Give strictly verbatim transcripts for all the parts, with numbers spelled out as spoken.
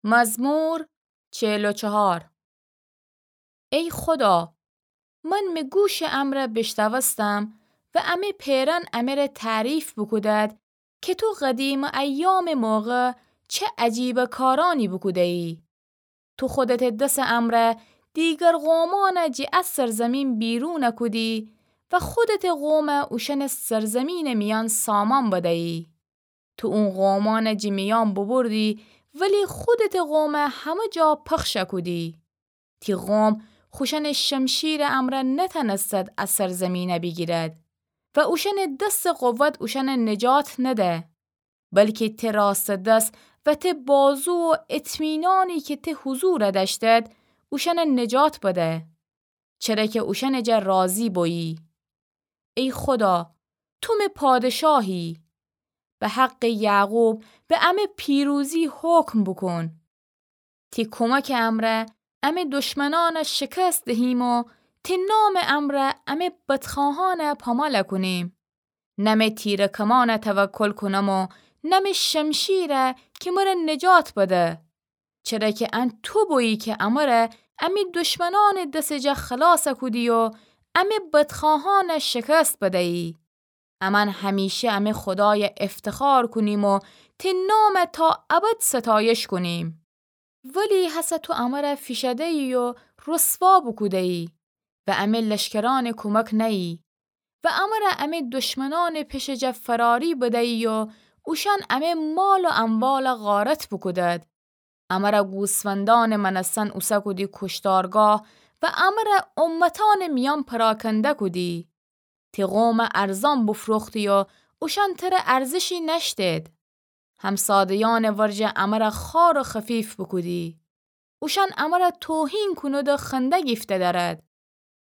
مزمور چهل و چهار. ای خودا، من می گوشٚ امرأ بیشنوستم و امه پئرأن امره تعریف بوکودد کی تو قدیمٚ ایامٚ موقع چه عجیبٚ کارأنی بوکوده‌یی. تو خودتٚ دسٚ امرأ دیگر قومأن جٚه ا سرزمین بیرون کودی و خودتٚ قوم اوشأنٚ سرزمینٚ میأن سامان بده‌یی. تو اون قومأن جٚه میأن ببردی، ولی خودتٚ قوم همه جا پخش کودی. تی قوم خوشأنٚ شمشیرٚ امرأ نتأنستد ا سرزمین بیگیرد و اوشأنٚ دستٚ قوت اوشأن نجات نده، بلکی تی راستٚ دس و تی بازو و اطمینانی کی تی حضور دأشتد، اوشأن نجات بده. چره کی اوشأنٚ جا راضی بویی. ای خودا، تو می پادشاهی. به حقٚ یعقوب به امه پیروزی حکم بوکون. تی کمکٚ امرأ امه دشمنأن شکست دهیم و تی نامٚ امرأ امه بدخواهأن پامال کونیم. نمه تیرٚ کمان توکل کونم و نمه شمشیر کی مر نجات بده. چره کی ان تو بویی کی امر امی دشمنأنٚ دسٚ جا خلاص کودی و امی بدخواهأن شکست بدیی. امأن همیشه امی خودای افتخار کونیم و تی نام تا ابد ستایش کونیم. ولی هسه تو امر فیشده‌یی و رسوا بوکوده‌یی و امی لشکرأنٚ کمک نه‌یی و امر امی دشمنأنٚ پشٚ جا فراری بدیی و اوشأن امی مال و اموال غارت بوکودد. امر گوسفندأنٚ مأنستن اوسه کودی کشتارگاه و امر امتأنٚ میأن پراکنده کودی. تی قوم ارزان بفروختی و اوشأن تر ارزشی نأشتید. همساده‌یأنٚ ورجه امر خوار و خفیف بوکودی. اوشأن امر توهین کونید و خنده گیفته دأرد.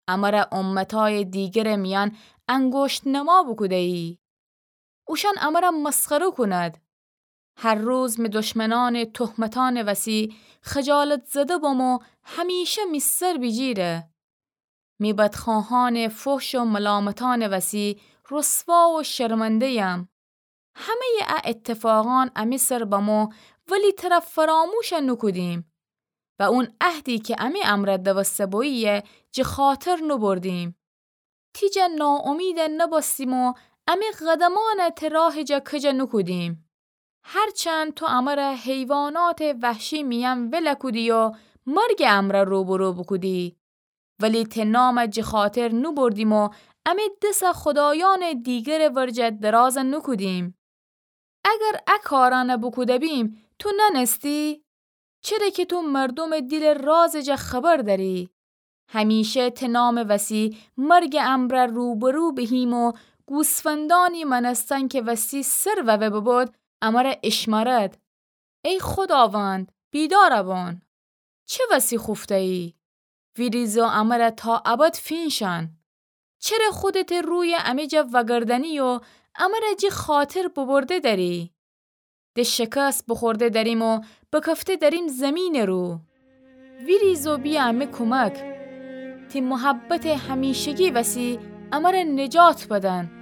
امر امتأی دیگرٚ میأن انگشت نما بوکوده‌یی. اوشأن امر مسخره کونید. هر روز می دشمنأنٚ تهمتأنٚ وسی خجالت زده بم و همیشه می سر بیجیره. می بدخواهأنٚ فحش و ملامتأنٚ وسی رسوا و شرمنده‌یم. همه‌یٚ ا اتفاقأن امی سر بمو ولی تر فراموش نوکودیم و اون عهدی کی امی امر دوسته بویی جٚه خاطر نوبردیم. تی جا ناامید نبستیم و امی قدمأن تی راهٚ جا کج نوکودیم. هرچند تو امر حیوانأتٚ وحشی میأن ول کودی و مرگٚ امر روبرو بوکودی، ولی تی نام جٚه خاطر نوبردیم و امی دس خودایأنٚ دیگرٚ ورجه دراز نوکودیم. اگر ا کارأن بوکوده بیم، تو نأنستی؟ چره کی تو مردومٚ دیلٚ رازٚ جا خبر دأری. همیشه تی نامٚ وسی مرگٚ امر روبرو بهیم و گوسفندأنی مأنستن کی وسی سر ووه ببود، امر اشمرد. ای خوداوند، بیدار بون. چه وسی خوفته‌یی؟ ویریز و امر تا ابد فینشأن. چره خودتٚ روی امی جا وگردنی و امر جٚه خاطر ببرده دأری؟ د شکست بوخورده دأریم و بکفته دأریم زیمینٚ رو. ویریز و بیأ امی کمک. تی محبتٚ همیشگی وسی امر نجات بدن.